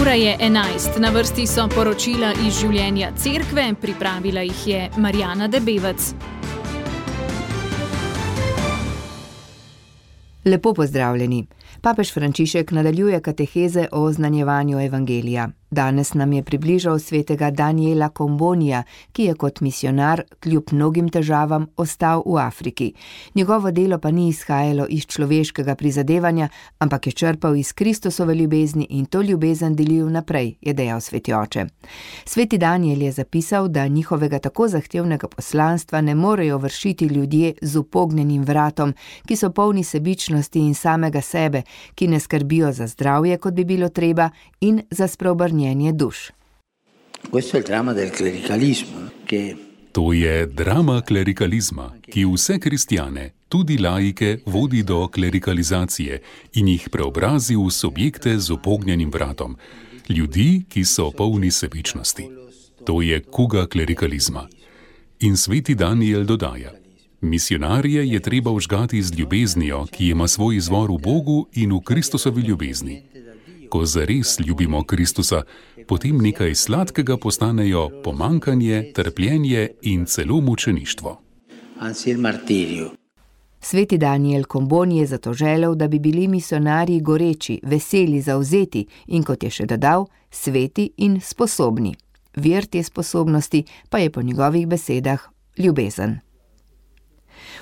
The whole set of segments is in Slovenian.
Ura je 11, na vrsti so poročila iz življenja cerkve, pripravila jih je Marjana Debevec. Lepo pozdravljeni. Papež Frančišek nadaljuje kateheze o oznanjevanju evangelija. Danes nam je približal svetega Daniela Combonija, ki je kot misionar kljub mnogim težavam ostal v Afriki. Njegovo delo pa ni izhajalo iz človeškega prizadevanja, ampak je črpal iz Kristusove ljubezni in to ljubezen delil naprej, je dejal sveti oče. Sveti Daniel je zapisal, da njihovega tako zahtevnega poslanstva ne morejo vršiti ljudje z upognjenim vratom, ki so polni sebičnosti in samega sebe, ki ne skrbijo za zdravje, kot bi bilo treba, in za spreobrnjenje duš. To je drama klerikalizma, ki vse kristjane, tudi laike, vodi do klerikalizacije in jih preobrazi v subjekte z upognjenim vratom. Ljudi, ki so polni sebičnosti. To je kuga klerikalizma. In sveti Daniel dodaja: misionarje je treba vžgati z ljubeznijo, ki ima svoj izvor v Bogu in v Kristusovi ljubezni. Ko zares ljubimo Kristusa, potem nekaj sladkega postanejo pomankanje, trpljenje in celo mučeništvo. Sveti Daniel Comboni je zato želel, da bi bili misionarji goreči, veseli, zavzeti in, kot je še dodal, sveti in sposobni. Vir te sposobnosti pa je po njegovih besedah ljubezen.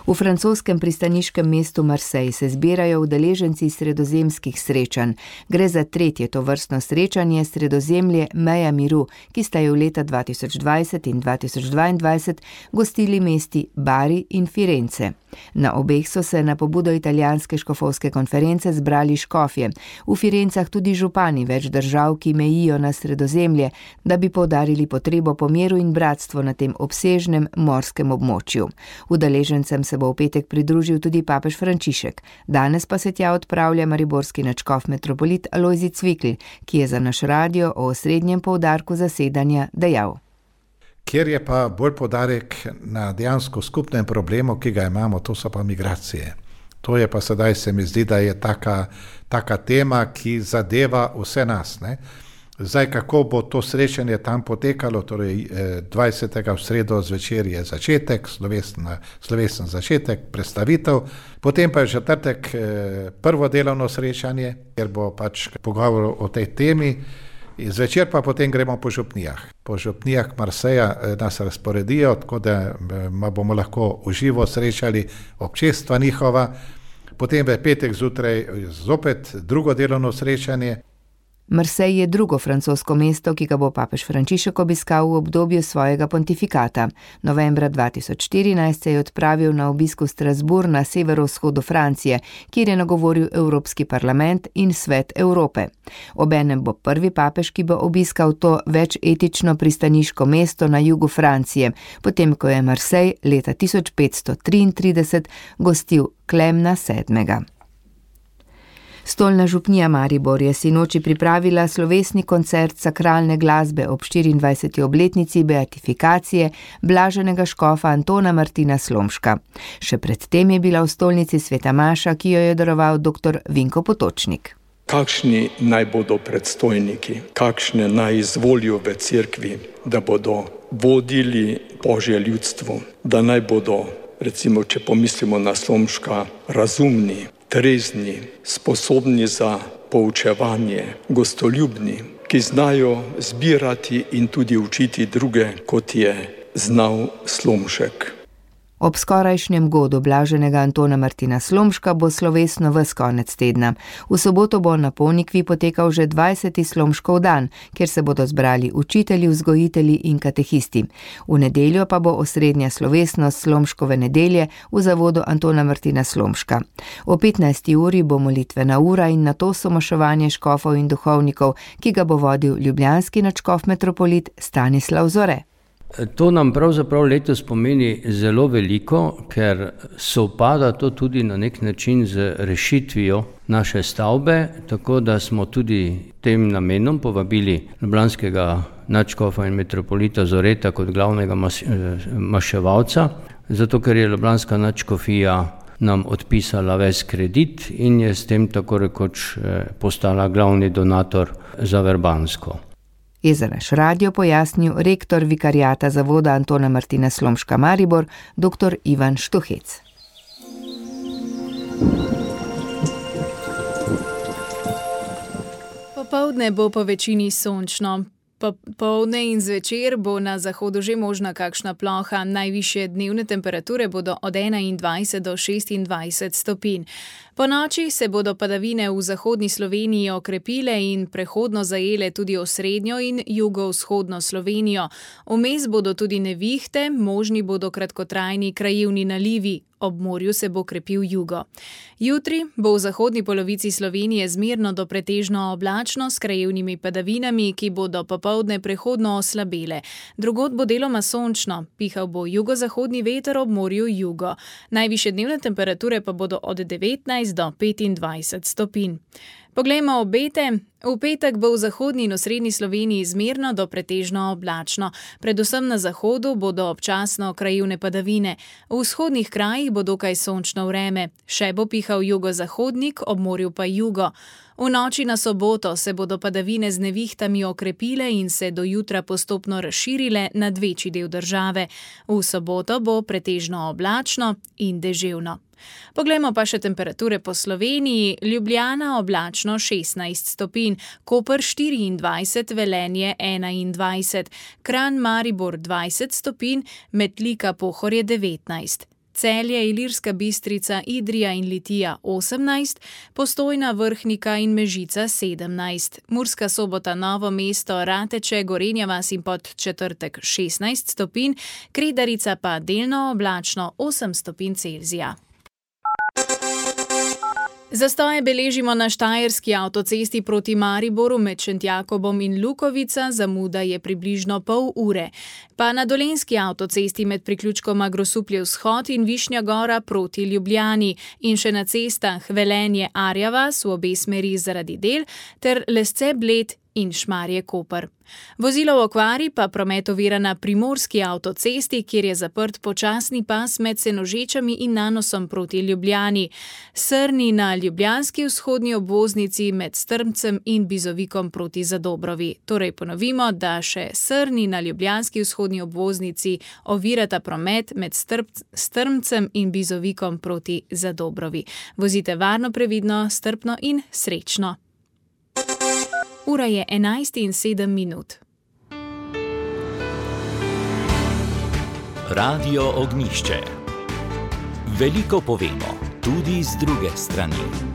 V francoskem pristaniškem mestu Marseille se zbirajo udeleženci sredozemskih srečanj. Gre za tretje tovrstno srečanje Sredozemlje meja miru, ki sta jo leta 2020 in 2022 gostili mesti Bari in Firence. Na obeh so se na pobudo italijanske škofovske konference zbrali škofje, v Firencah tudi župani več držav, ki mejijo na Sredozemlje, da bi poudarili potrebo po miru in bratstvu na tem obsežnem morskem območju. Udeležencem se bo v petek pridružil tudi papež Frančišek. Danes pa se tja odpravlja mariborski nadškof metropolit Alojzij Cvikl, ki je za naš radio o osrednjem poudarku zasedanja dejal: Kjer je pa bolj poudarek na dejansko skupnem problemu, ki ga imamo, to so pa migracije. To je pa sedaj, se mi zdi, da je taka tema, ki zadeva vse nas, ne? Zdaj, kako bo to srečanje tam potekalo, torej 20. v sredo zvečer je začetek, slovesen začetek, predstavitev, potem pa je četrtek prvo delovno srečanje, kjer bo pač pogovor o tej temi, zvečer pa potem gremo po župnijah. Po župnijah Marseja nas razporedijo, tako da bomo lahko uživo srečali občestva njihova, potem v petek zjutraj zopet drugo delovno srečanje. Marseille je drugo francosko mesto, ki ga bo papež Frančišek obiskal v obdobju svojega pontifikata. Novembra 2014 se je odpravil na obisk v Strasbourg na severovzhodu Francije, kjer je nagovoril Evropski parlament in Svet Evrope. Obenem bo prvi papež, ki bo obiskal to večetično pristaniško mesto na jugu Francije, potem ko je Marseille leta 1533 gostil Klemna VII. Stolna župnija Maribor je sinoči pripravila slovesni koncert sakralne glasbe ob 24. obletnici beatifikacije blaženega škofa Antona Martina Slomška. Še predtem je bila v stolnici sveta maša, ki jo je daroval dr. Vinko Potočnik. Kakšni naj bodo predstojniki, kakšne naj izvolijo v cerkvi, da bodo vodili Božje ljudstvo, da naj bodo, recimo, če pomislimo na Slomška, razumni, trezni, sposobni za poučevanje, gostoljubni, ki znajo zbirati in tudi učiti druge, kot je znal Slomšek. Ob skorajšnjem godu blaženega Antona Martina Slomška bo slovesno ves konec tedna. V soboto bo na Ponikvi potekal že 20. Slomškov dan, kjer se bodo zbrali učitelji, vzgojitelji in katehisti. V nedeljo pa bo osrednja slovesnost Slomškove nedelje v zavodu Antona Martina Slomška. O 15. uri bo molitvena ura in nato somoševanje škofov in duhovnikov, ki ga bo vodil ljubljanski nadškof metropolit Stanislav Zore. To nam pravzaprav letos pomeni zelo veliko, ker sovpada to tudi na nek način z rešitvijo naše stavbe, tako da smo tudi tem namenom povabili ljubljanskega nadškofa in metropolita Zoreta kot glavnega maševalca, zato ker je ljubljanska nadškofija nam odpisala ves kredit in je s tem tako rekoč postala glavni donator za Verbansko. Je za naš radio pojasnil rektor vikarijata zavoda Antona Martina Slomška Maribor, dr. Ivan Štuhec. Popoldne bo po večini sončno. Popoldne in zvečer bo na zahodu že možna kakšna ploha. Najvišje dnevne temperature bodo od 21 do 26 stopinj. Po noči se bodo padavine v zahodni Sloveniji okrepile in prehodno zajele tudi osrednjo in jugovzhodno Slovenijo. Vmes bodo tudi nevihte, možni bodo kratkotrajni krajevni nalivi. Ob morju se bo krepil jugo. Jutri bo v zahodni polovici Slovenije zmerno do pretežno oblačno s krajevnimi padavinami, ki bodo popoldne prehodno oslabele. Drugod bo deloma sončno, pihal bo jugozahodni veter, ob morju jugo. Najvišje dnevne temperature pa bodo od 19 do 25 stopinj. Poglejmo obete. V petek bo v zahodni in osrednji Sloveniji zmerno do pretežno oblačno. Predvsem na zahodu bodo občasno krajevne padavine. V vzhodnih krajih bo dokaj sončno vreme. Še bo pihal jugozahodnik, ob morju pa jugo. V noči na soboto se bodo padavine z nevihtami okrepile in se do jutra postopno razširile nad večji del države. V soboto bo pretežno oblačno in deževno. Poglejmo pa še temperature po Sloveniji. Ljubljana oblačno 16 stopinj, Koper 24, Velenje 21, Kranj, Maribor 20 stopinj, Metlika, Pohorje 19. Celje, Ilirska Bistrica, Idrija in Litija 18, Postojna, Vrhnika in Mežica 17, Murska Sobota, Novo mesto, Rateče, Gorenja vas in Podčetrtek 16 stopinj, Kredarica pa delno oblačno 8 stopinj Celzija. Zastoje beležimo na štajerski avtocesti proti Mariboru med Šentjakobom in Lukovica, zamuda je približno pol ure. Pa na dolenjski avtocesti med priključkoma Grosuplje vzhod in Višnja Gora proti Ljubljani in še na cestah Velenje, Arja vas v obe smeri zaradi del ter Lesce, Bled in Šmarje, Koper. Vozilo v okvari pa promet ovira na primorski avtocesti, kjer je zaprt počasni pas med Senožečami in Nanosom proti Ljubljani. Srni na ljubljanski vzhodni obvoznici med Strmcem in Bizovikom proti Zadobrovi. Torej ponovimo, da še Srni na ljubljanski vzhodni obvoznici ovirata promet med Strmcem in Bizovikom proti Zadobrovi. Vozite varno, previdno, strpno in srečno. Ura je 11:07. Radio Ognjišče. Veliko povemo, tudi z druge strani.